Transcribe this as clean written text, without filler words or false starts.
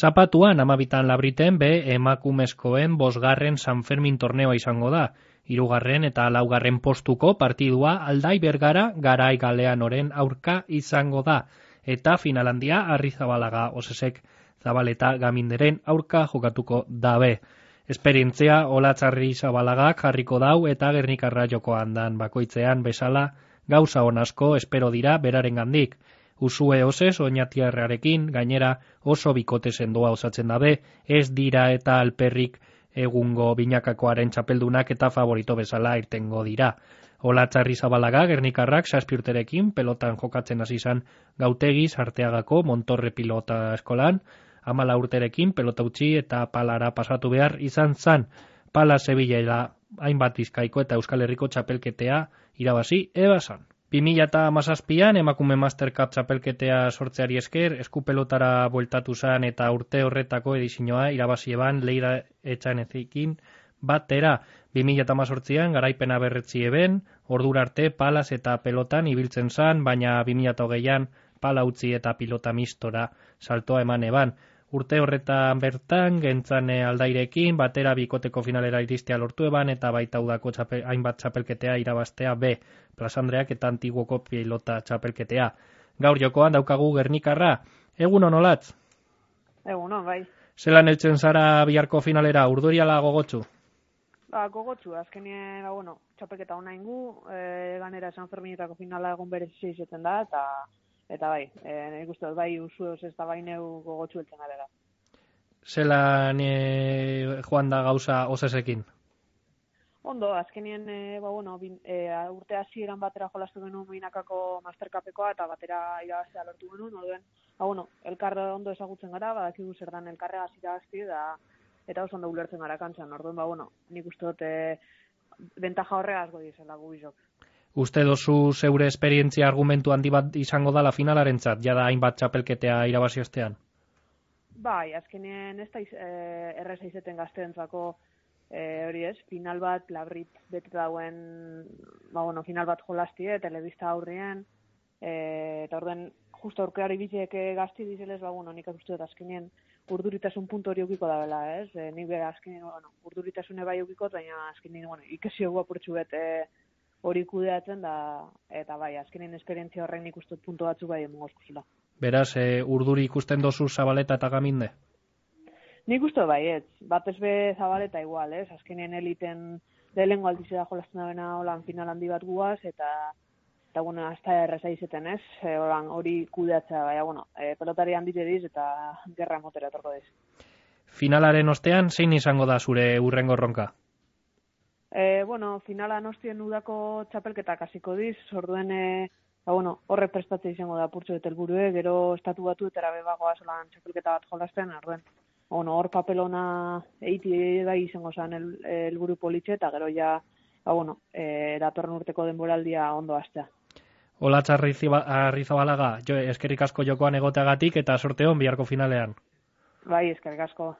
Zapatuan amabitan labriten emakumezkoen 5. San Fermin torneoa izango da. 3. eta 4. postuko partidua Aldai Bergara Garai Galeanoren aurka izango da. Eta finalandia Arrizabalaga Osesek Zabaleta Gaminderen aurka jokatuko dabe. Esperientzia Olatz Arrizabalagak jarriko dau eta Gernikarra jokoan dan bakoitzean bezala gauza on asko espero dira berarengandik. Usue Oses oinatiarrarekin gainera oso bikote sendoa osatzen dabe, ez dira eta alperrik egungo binakakoaren txapeldunak eta favorito bezala irtengo dira. Olatz Arrizabalaga Gernikarrak 7 urterekin pelotan jokatzen hasi izan Gautegiz Arteagako Montorre pilota eskolan, 14 urterekin pelota utzi eta palara pasatu behar izan zan. Pala Sevilla hainbat Bizkaiko eta Euskal Herriko txapelketea irabazi ebazan. 2017an emakume Master Cup txapelketea sortzeari esker, eskupelotara bueltatu zan eta urte horretako edizioa irabazi eban Leira Etxanezekin batera. 2018an garaipena berretzi eben, ordura arte palaz eta pelotan ibiltzen zan, baina 2020an pala utzi eta pilota mistora saltoa eman eban. Urte horretan bertan, gentzane Aldairekin, batera bikoteko finalera iristea lortu eban, eta baita udako hainbat txapelketea irabaztea B, Plasandreak eta Antiguoko pilota txapelketea. Gaur jokoan daukagu Gernikarra. Egunon, Olatz? Egunon, bai. Zelan heltzen zara biharko finalera, urduriala gogotsu? Gogotsu, azkenien, txapelketa hona ingu, ganera San Ferminetako finala egon berezi izaten da, eta bai, nik uste dut bai usuoz ez da bai neu gogotsu heltzen garela. Zelan joan da gauza Osesekin? Ondo, azkenien, urte hasieran batera jolastu genuen binakako Mastercapekoa eta batera irabaztea lortu genuen, oduen, elkar ondo ezagutzen gara, badakigu zer dan elkarregaz irabazti eta oso ondo ulertzen gara kantzan, orduen, nik uste dut bentaja horregaz goi izela gubizok. Uste dozu zeure esperientzia argumentu handi bat izango dala finalarentzat, jada hainbat txapelketea irabazi ostean? Bai, azkenien ez da erreza izeten gazteentzako hori ez, final bat labrit bete dauen, final bat jolastie, telebista aurrien, eta orden, justo aurkeari biziek gazti dizelez, nik uste dut azkenien urduritasun puntu hori eukiko da bela, ez? Nik bera azkenien, urduritasune bai eukikot, baina azkenien, ikesio guapurtxu bete hori kudeatzen da, eta bai, azkenien esperientzia horrein nik uste dut puntu batzuk bai emogozkuzela. Beraz, urduri ikusten dozu Zabaleta eta Gaminde? Nik uste bai, ez. Batez be Zabaleta igual, ez? Azkenien eliten lehengo altizera jolazten da bena holan final handi bat guaz, eta hasta erreza izeten, ez? Hori kudeatzea, baina, pelotari handite diz eta gerra motera etorko diz. Finalaren ostean, zein izango da zure urrengo erronka? Finalan ostien udako txapelketak hasiko diz, orduen, horre prestatzea izango da purtsu eta helburue, gero estatu batu eta erabebagoa solan txapelketa bat jolasten, orduen, hor papelona eiti bai izango zen helburu politxe, eta gero ja, datorren urteko denboraldia ondo hastea. Olatz Arrizabalaga, eskerrik asko jokoan egoteagatik eta sorte hon biharko finalean. Bai, eskerrik asko.